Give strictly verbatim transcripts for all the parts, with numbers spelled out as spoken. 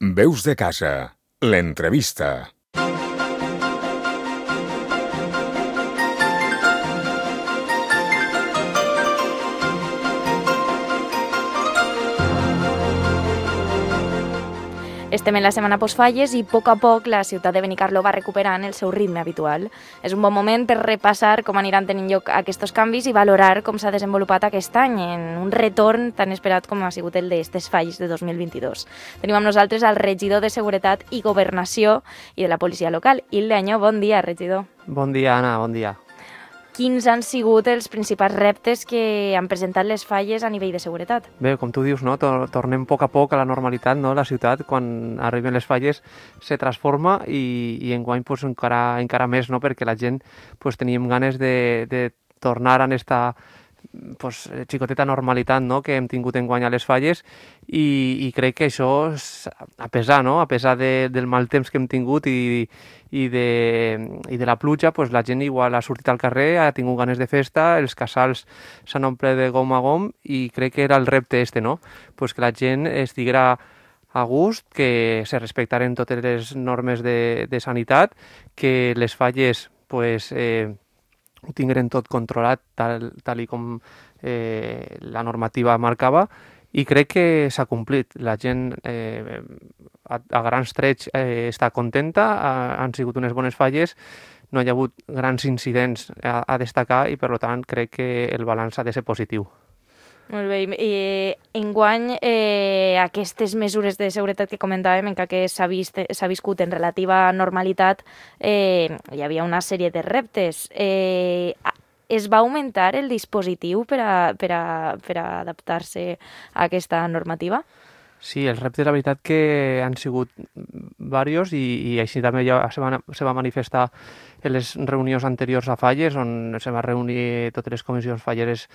Veus de casa, l'entrevista. Estem en la setmana postfalles i a poc a poc la ciutat de Benicarló va recuperant el seu ritme habitual. És un bon moment per repassar com aniran tenint lloc aquests canvis i valorar com s'ha desenvolupat aquest any en un retorn tan esperat com ha sigut el d'estes falles de dos mil vint-i-dos. Tenim amb nosaltres el regidor de Seguretat i Governació i de la policia local, Il Leanyó. Bon dia, regidor. Bon dia, Anna, bon dia. Quins han sigut els principals reptes que han presentat les falles a nivell de seguretat? Bé, com tu dius, no? Tornem a poc a poc a la normalitat, no? La ciutat, quan arriben les falles, se transforma i, i enguany pues, encara, encara més, no? Perquè la gent pues, teníem ganes de, de tornar a esta pues, xicoteta normalitat, no? Que hem tingut enguany a les falles i, i crec que això, és, a pesar, no? a pesar de, del mal temps que hem tingut i, i, de, i de la pluja, pues, la gent igual ha sortit al carrer, ha tingut ganes de festa, els casals s'han omplert de gom a gom i crec que era el repte este, no? Pues que la gent estiguera a gust, que se respectaren totes les normes de, de sanitat, que les falles pues, eh, ho tingueren tot controlat tal, tal i com eh, la normativa marcava i crec que s'ha complit. La gent eh, a, a grans trets eh, està contenta, ha, han sigut unes bones falles, no hi ha hagut grans incidents a, a destacar i per tant crec que el balanç ha de ser positiu. Molt bé. I enguany eh, aquestes mesures de seguretat que comentàvem, encara que s'ha vist, s'ha viscut en relativa normalitat, eh, hi havia una sèrie de reptes. Eh, es va augmentar el dispositiu per a, per a, per a adaptar-se a aquesta normativa? Sí, els reptes, la veritat, que han sigut diversos i, i així també ja se va, se va manifestar en les reunions anteriors a falles, on se va reunir totes les comissions falleres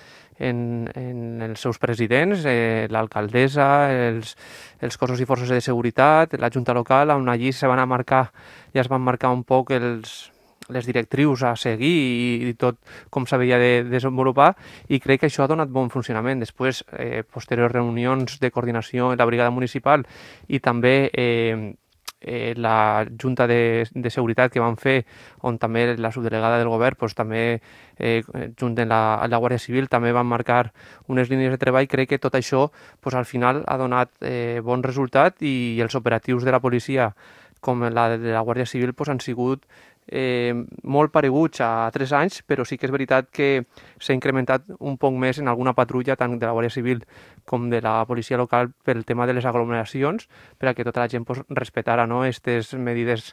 en, en els seus presidents, eh, l'alcaldessa, els, els cossos i forces de seguretat, la junta local, on allí se van a marcar, ja es van marcar un poc els les directrius a seguir i, i tot com s'havia de desenvolupar i crec que això ha donat bon funcionament. Després, eh, posteriors reunions de coordinació en la brigada municipal i també eh, eh, la Junta de, de Seguretat que van fer, on també la subdelegada del govern pues, també eh, junt amb la, la Guàrdia Civil també van marcar unes línies de treball. Crec que tot això pues, al final ha donat eh, bon resultat i, i els operatius de la policia com la de la Guàrdia Civil pues, han sigut Eh, molt pareguts a tres anys, però sí que és veritat que s'ha incrementat un poc més en alguna patrulla tant de la Guàrdia Civil com de la policia local pel tema de les aglomeracions, per a que tota la gent pues, respetara no, aquestes medides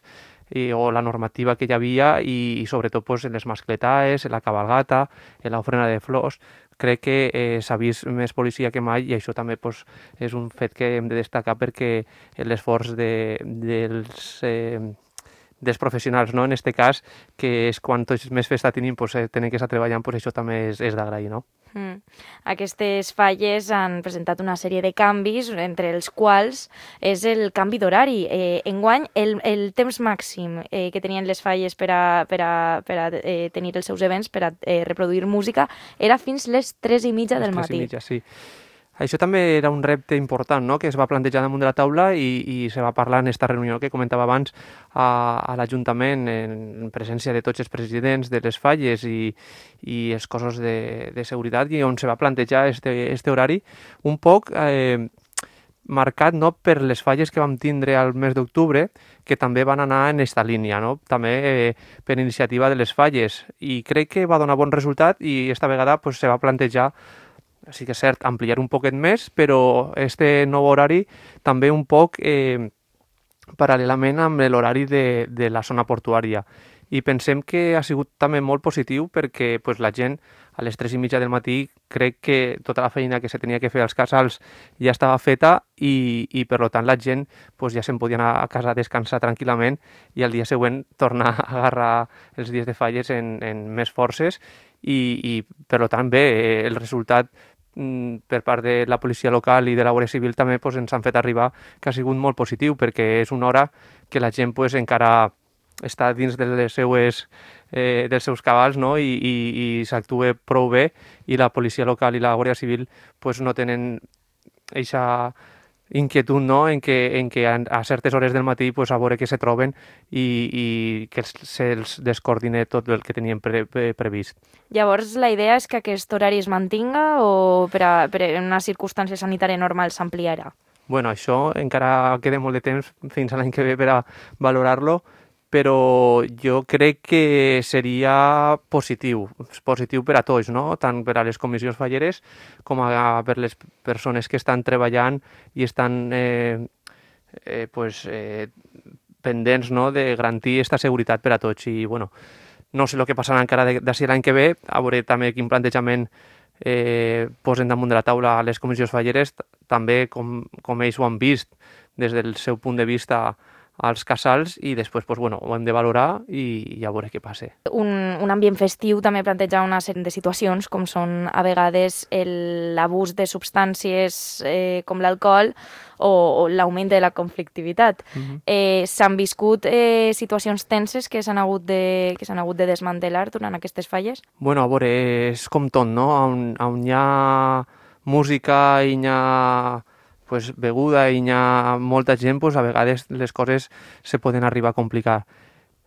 i, o la normativa que hi havia i, i sobretot pues, en les mascletaes, en la cabalgata, en l'ofrena de flors. Crec que eh, s'ha vist més policia que mai i això també pues, és un fet que hem de destacar perquè l'esforç de, dels eh, dels professionals, no? En aquest cas, que és quan tots més festa tenim, pues, eh, tenen que estar treballant, pues, això també és, és d'agrair, no? Mm. Aquestes falles han presentat una sèrie de canvis, entre els quals és el canvi d'horari. Eh, enguany, el, el temps màxim eh, que tenien les falles per a, per a, per a eh, tenir els seus events, per a eh, reproduir música, era fins les tres i mitja del matí. tres i mitja, sí. Això també era un repte important, no?, que es va plantejar damunt de la taula i, i se va parlar en aquesta reunió que comentava abans a, a l'Ajuntament en presència de tots els presidents de les falles i, i els cossos de, de seguretat i on se va plantejar este, este horari un poc eh, marcat no, per les falles que vam tindre al mes d'octubre, que també van anar en aquesta línia, no? També eh, per iniciativa de les falles i crec que va donar bon resultat i esta vegada pues, se va plantejar sí que és cert, ampliar un poquet més, però este nou horari també un poc eh, paral·lelament amb l'horari de, de la zona portuària. I pensem que ha sigut també molt positiu perquè pues, la gent a les tres i mitja del matí crec que tota la feina que se tenia que fer als casals ja estava feta i, i per tant la gent pues, ja se'n podia anar a casa a descansar tranquil·lament i al dia següent tornar a agarrar els dies de falles en, en més forces i, i per tant bé, el resultat per part de la policia local i de la Guàrdia Civil també pues, ens han fet arribar que ha sigut molt positiu perquè és una hora que la gent pues, encara està dins de les seues, eh, dels seus cabals no? I, i, i s'actua prou bé i la policia local i la Guàrdia Civil pues, no tenen eixa inquietud, no?, en què, en què a certes hores del matí pues, a veure què se troben i, i que se'ls descoordine tot el que tenien pre, pre, previst. Llavors, la idea és que aquest horari es mantinga o per, a, per a una circumstància sanitària normal s'ampliarà? Bueno, això encara queda molt de temps fins a l'any que ve per a valorar-lo, però jo crec que seria positiu, positiu per a tots, no? Tant per a les comissions falleres com a, per les persones que estan treballant i estan eh, eh, pues, eh, pendents, no?, de garantir aquesta seguretat per a tots. I, bueno, no sé el que passarà encara d'ací l'any que ve, a veure també quin plantejament eh, posen damunt de la taula les comissions falleres, també com, com ells ho han vist des del seu punt de vista als casals i després pues, bueno, ho hem de valorar i, i a veure què passa. Un, un ambient festiu també planteja una sèrie de situacions com són a vegades l'abús de substàncies eh, com l'alcohol o, o l'augment de la conflictivitat. Uh-huh. eh, S'han viscut eh, situacions tenses que s'han hagut, de, que s'han hagut de desmantelar durant aquestes falles? Bueno, a veure, és com tot, no? On, on hi ha música i hi ha pues, beguda i hi ha molta gent, pues, a vegades les coses se poden arribar a complicar.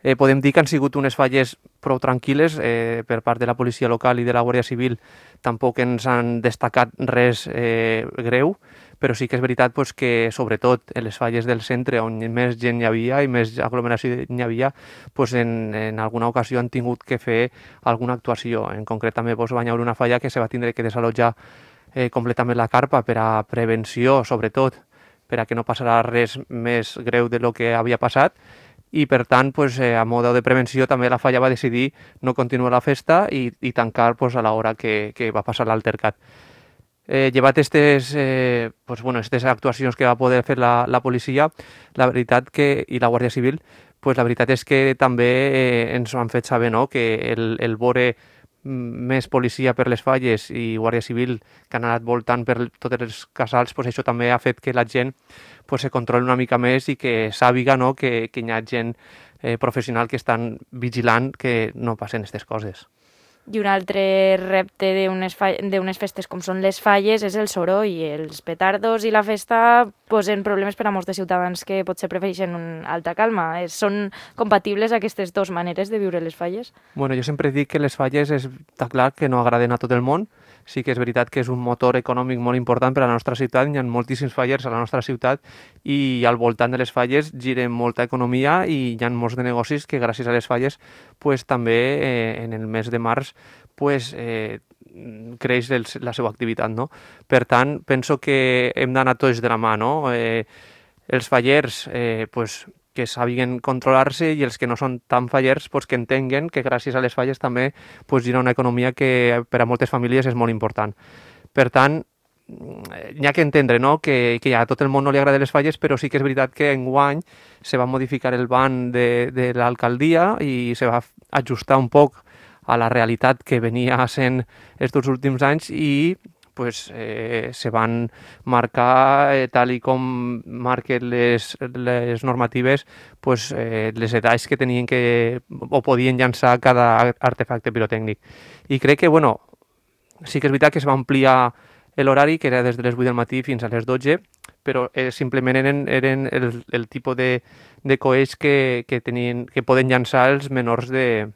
Eh, podem dir que han sigut unes falles prou tranquil·les eh, per part de la policia local i de la Guàrdia Civil, tampoc ens han destacat res eh, greu, però sí que és veritat pues, que sobretot en les falles del centre on més gent hi havia i més aglomeració hi havia, pues, en, en alguna ocasió han tingut que fer alguna actuació. En concret també pues, va haver una falla que se va tindre que desallotjar Eh, completament la carpa per a prevenció, sobretot, per a que no passarà res més greu de lo que havia passat i, per tant, pues, eh, a mode de prevenció també la falla va decidir no continuar la festa i, i tancar pues, a l'hora que, que va passar l'altercat. Eh, llevat aquestes eh, pues, bueno, actuacions que va poder fer la, la policia, la veritat que, i la Guàrdia Civil, pues, la veritat és que també eh, ens ho han fet saber, no?, que el, el vore més policia per les falles i Guàrdia Civil que han anat voltant per tots els casals, pues això també ha fet que la gent pues, se controli una mica més i que sàpiga, no?, que, que hi ha gent eh, professional que estan vigilant que no passen aquestes coses. I un altre repte d'unes d'unes festes com són les falles és el soroll i els petardos i la festa posen problemes per a molts de ciutadans que potser prefereixen una alta calma. Són compatibles aquestes dues maneres de viure les falles? Bueno, jo sempre dic que les falles està clar que no agraden a tot el món. Sí que és veritat que és un motor econòmic molt important per a la nostra ciutat, hi ha moltíssims fallers a la nostra ciutat i al voltant de les falles gira molta economia i hi ha molts de negocis que gràcies a les falles pues, també eh, en el mes de març pues, eh, creix el, la seva activitat. No? Per tant, penso que hem d'anar tots de la mà. No? Eh, els fallers eh, pues, que sàpiguen controlar-se i els que no són tan fallers pues, que entenguen que gràcies a les falles també pues, gira una economia que per a moltes famílies és molt important. Per tant, n'hi ha que entendre, no?, que, que a tot el món no li agrada les falles, però sí que és veritat que enguany se va modificar el ban de, de l'alcaldia i se va ajustar un poc a la realitat que venia sent aquests últims anys i pues, eh, se van marcar, eh, tal i com marquen les, les normatives, pues, eh, les edats que tenien que o podien llançar cada artefacte pirotècnic. I crec que, bueno, sí que és veritat que es va ampliar l'horari, que era des de les vuit del matí fins a les dotze, però eh, simplement eren, eren el, el tipus de, de coets que, que, tenien, que poden llançar els menors de,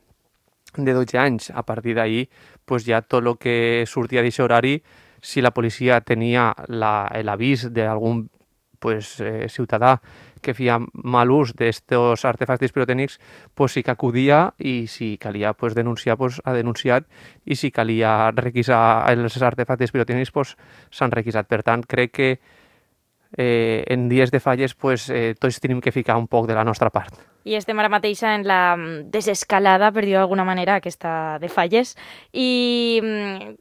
de dotze anys. A partir d'ahir, pues, ja tot el que sortia d'aquest horari, si la policia tenia l'avís d'algun pues, eh, ciutadà que feia mal ús d'estos artefactes pirotècnics, pues, sí que acudia i si calia pues, denunciar, pues, ha denunciat i si calia requisar els artefactes pirotècnics, pues, s'han requisat. Per tant, crec que eh, en dies de falles pues, eh, tots tenim que ficar un poc de la nostra part. I estem ara mateix en la desescalada, per dir-ho d'alguna manera, aquesta de falles. I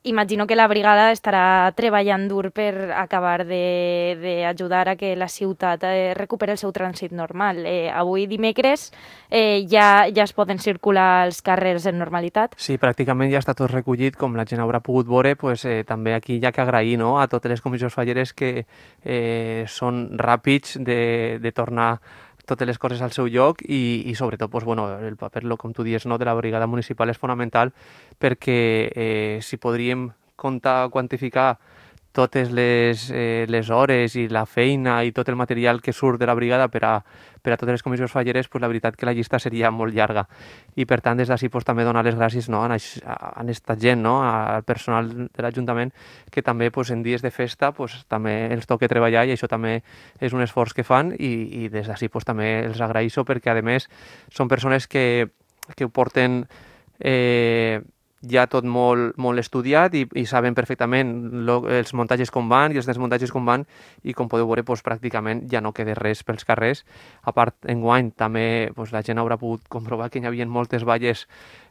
imagino que la brigada estarà treballant dur per acabar d'ajudar a que la ciutat eh, recuperi el seu trànsit normal. Eh, avui, dimecres, eh, ja, ja es poden circular els carrers en normalitat? Sí, pràcticament ja està tot recollit, com la gent haurà pogut veure, pues, eh, també aquí hi ha que agrair, no?, a totes les comissions falleres que eh, són ràpids de, de tornar totes les coses al seu lloc i, i sobretot, pues, bueno, el paper, com tu dius, no, de la brigada municipal és fonamental perquè eh, si podríem comptar, quantificar totes les, eh, les hores i la feina i tot el material que surt de la brigada per a, per a totes les comissions falleres, pues, la veritat que la llista seria molt llarga. I per tant, des d'ací pues, també donar les gràcies, no, a, a aquesta gent, no, al personal de l'Ajuntament, que també pues, en dies de festa pues, també els toca treballar i això també és un esforç que fan i, i des d'ací pues, també els agraeixo perquè, a més, són persones que, que ho porten eh, ja tot molt, molt estudiat i, i saben perfectament lo, els muntatges com van i els desmuntatges com van i com podeu veure doncs, pràcticament ja no queda res pels carrers. A part, enguany també doncs, la gent haurà pogut comprovar que hi havia moltes valles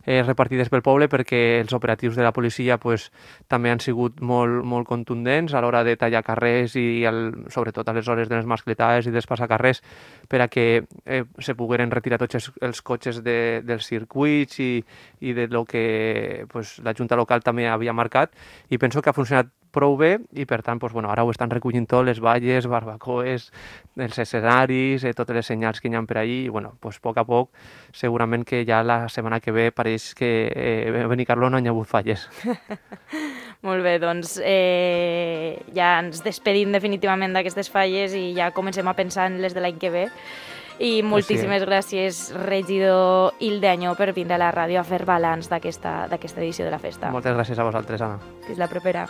eh, repartides pel poble perquè els operatius de la policia pues, també han sigut molt, molt contundents a l'hora de tallar carrers i el, sobretot a les hores de les mascletades i dels passacarrers per a que eh, se pogueren retirar tots els, els cotxes de, dels circuits i, i de lo que pues, la Junta local també havia marcat i penso que ha funcionat prou bé i per tant pues, bueno, ara ho estan recollint tot, les valles, barbacoes, els escenaris, eh, totes les senyals que hi ha per allí i bueno, pues, a poc a poc segurament que ja la setmana que ve pareix que eh, a Benicarló no hi ha hagut falles. Molt bé, doncs eh, ja ens despedim definitivament d'aquestes falles i ja comencem a pensar en les de l'any que ve. I moltíssimes gràcies, regidor Hilde Añó, per vindre a la ràdio a fer balanç d'aquesta edició de la festa. Moltes gràcies a vosaltres, Anna. Fins la propera.